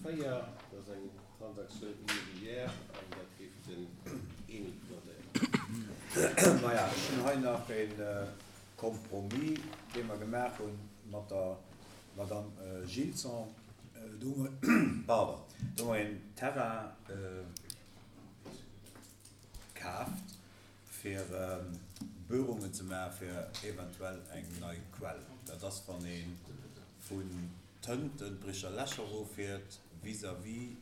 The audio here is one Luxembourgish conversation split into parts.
4, dat ass eng Transaktioun immobilière an dat géif den Emile presentéieren. Maja, ech hunn hei nach e Compromis, dee mer gemaach hu mat der Madame Gilson. Do hu mer, pardon, do hu mer een Terrain kaaft, fir Buerungen ze maache fir eventuell eng nei Quell. Dat ass, wann ee vun Tënten d'Bricher Läch eroffiert, vis-à-vis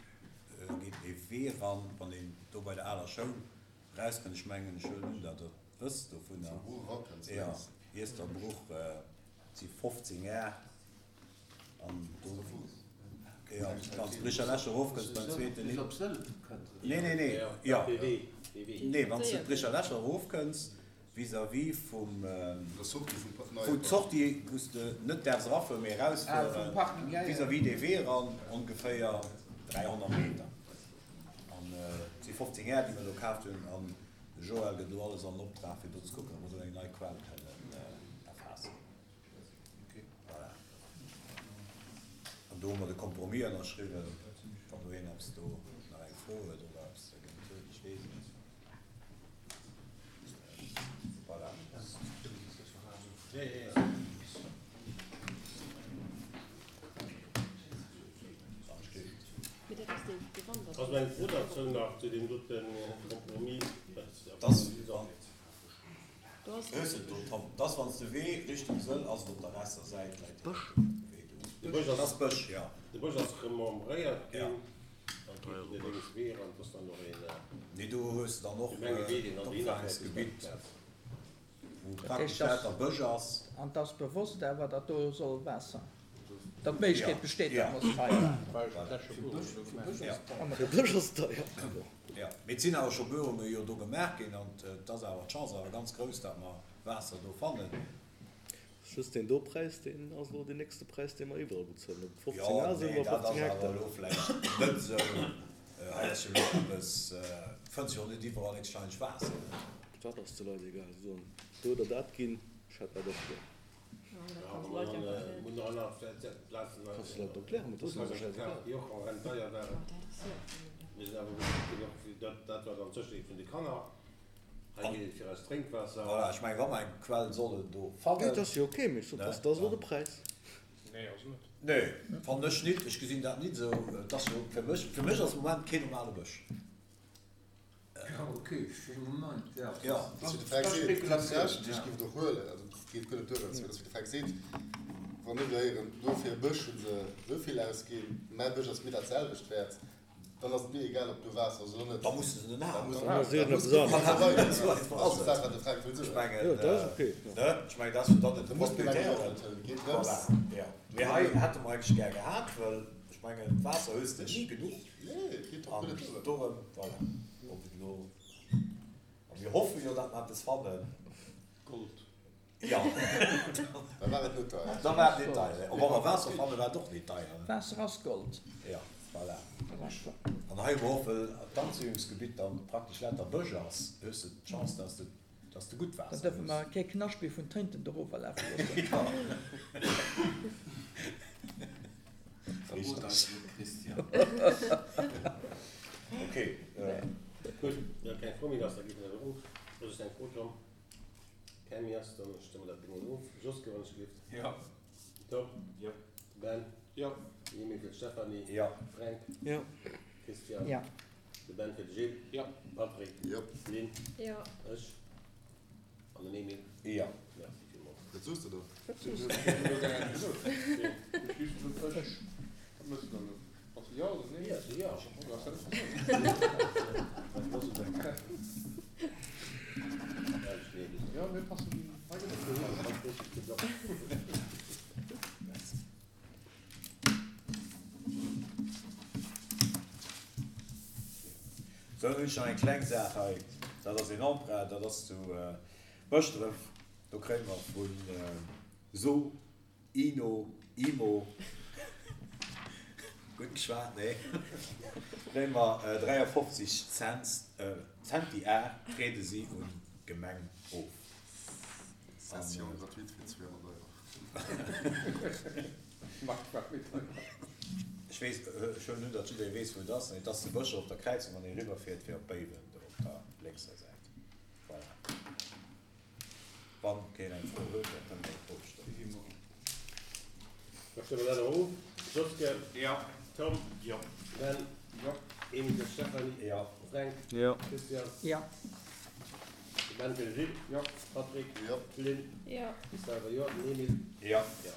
geet ee Wee eran, wann een do bei der aler Schoul erauskënnt. Ech mengen, ech huelen un, datt Der et wësst dovunner. Jo, Iesterbruch, et si 15 Ar. An do, jo, wann s de Bricher Läch erofkënns beim zweeten. Bis op Sëll kënnt. Nee, nee, nee, jo. Nee, wann s de d'Bricher Läch erofkënns, vis-à-vis vum, vun d'Sortie, wou s de net däerfs erafueren, mee erausfueren, vis-à-vis dee Wee eran, ongeféier 300 Meter. An et si 15 Är, déi mer do kaaft hunn. An de Joël gëtt elo alles an Optrag, fir do ze kucken, ob mer do eng nei Quell kënnen erfaassen. Voilà. An do hu mer de Compromis ënnerschriwwen. Wann do een eppes do nach eng Fro huet oder eppes dergéint huet, ech weess et net. Voilà. Ass eng Fro derzou nach zu deem dote Compromis? Dat ass wann s de Wee Richtung Sëll ass et op der rechter Säit läit de Wee do. Dat ass Bësch, jo. De Bësch ass remembréiert ginn, an et geet den lénks Wee eran, et ass dann och een. Nee, do hues de dann och d'Opfaangegsgebitt, wou praktesch lauter Bësch ass. An et ass bewosst awer, datt do soll Waasser. Datt d'Méiglechkeet besteet, datt mer se hei Fir Bësch ass deier. Jo, mee et sinn awer scho Buerunge jo do gemaach ginn an et ass awer, d'Chance awer ganz grouss, datt mer Waasser do fannen. Just deen do Präis, deen ass elo deen nächste Präis, dee mer iwwerall bezuelen, ob et 15 Jo, Ar sinn nee, oder dat 15 ass awer Hektar. elo vläicht net esou. Hei ass jo elo eppes, et fënnt sech och net iwwerall héchstwahrscheinlech Waasser. Dat ass de Leit egal, se sollen do oder dat ginn, ech hätt dat och gär. Kanns de dat erklären? Mee dat ass mir schäisegal. Voilà, ech mengen, wa mer eng Quell sollen do fannen. Dat ass jo ok, mee ech sot, dat ass elo de Präis. Nee, fannen ech nit. Ech gesinn dat nit esou. Et ass jo fir mech, fir mech ass am Moment keen normale Bësch. Ja, ok, fir de Moment, ja. Ja. Dat ass wéi de Fränk seet, déi ech géif et och huelen, also et geet guer net duerch, dat ass wéi de Fränk seet, wann ech elo héieren, do fir e Bësch hu se esou vill ausginn, mäi Bësch ass mir dat selwecht wäert, dann ass et mir egal, ob do Waasser ass oder net. Da muss se en haten. Dann ass iergendeppes anescht. Esou einfach ass et. Dat ass dat, wat de Fränk wëll soen. Ech mengen, ne, ech mengen, dat ass jo dann net de Da muss d'Gemeng och Propriétaire. net huelen, et geet drëms. Voilà, jo. Mee hei hätte mer eigentlech gär gehat, well ech mengen, Waasser hues de ni genuch. An dorëm, voilà, ob et elo, a mir hoffe jo, datt mer eppes fannen. Gold. Jo. Da war et net deier. Da war et net deier. Wa mer Waasser fannen, war et och net deier. Waasser ass Gold. Jo, voilà. An hei hu mer och, well d'Anzéiungsgebitt dann praktesch lauter Bësch ass, hues de d'Chance, datt s de, datt s de gutt Dann Waasser dierfe hues. mer kee Knascht méi vun Tënten dorower lafe loossen. Jo. Verrot eis net, Christian. Ok. Gutt, wa keng Fro méi ass, da gi mer dat of. Soss ass eng Fro, Tom? Keng méi ass, dann stëmme mer dat beneen of. Joske, wann ech gelift. Jo. Tom? Jo. Ben? Jo. Mimi fir d'Stéphanie. Jo. Fränk? Jo. Christian? Jo. De Ben fir de Gilles. Jo. Patrick? Jo. Lynn? Jo. Ech an den Emile. Jo. Merci villmools. Wat soos de do? Wat soos de? Ech. Wat mëss de dann elo? Bass de jo oder nee? Jo, jo. Jo, mir passen hei gëtt et. Sou, dann hunn ech nach eng kleng Saach hei. Dat ass een Emprunt, dat ass zu Bëschdref. Do kréie mer vu So, Ino, Imo, gutt geschwat, nee, kréie mer 53 Cents, Centi Ar triede si un d'Gemeng of. Session gratuite fir 200 Euro. Ech. Ech weess, ech huelen un, datt jidderee weess, wou et ass. Et ass zu Bëscher op der Kräizung, wann ee eriwwerfiert fir op Béiwen, do op der lénkser Säit. Voilà. Wann keen eng Fro huet, da kënnt eng Ofstëmmung. Da stëmme mer dat och of. Joske? Jo. Tom? Jo. Ben? Jo. Emile, Stéphanie? Jo. Fränk? Jo. Christian? Jo. De Ben fir de Gilles? Jo. Patrick? Jo. Lynn? Jo. Ech selwer jo. Den Emile? Jo. Jo.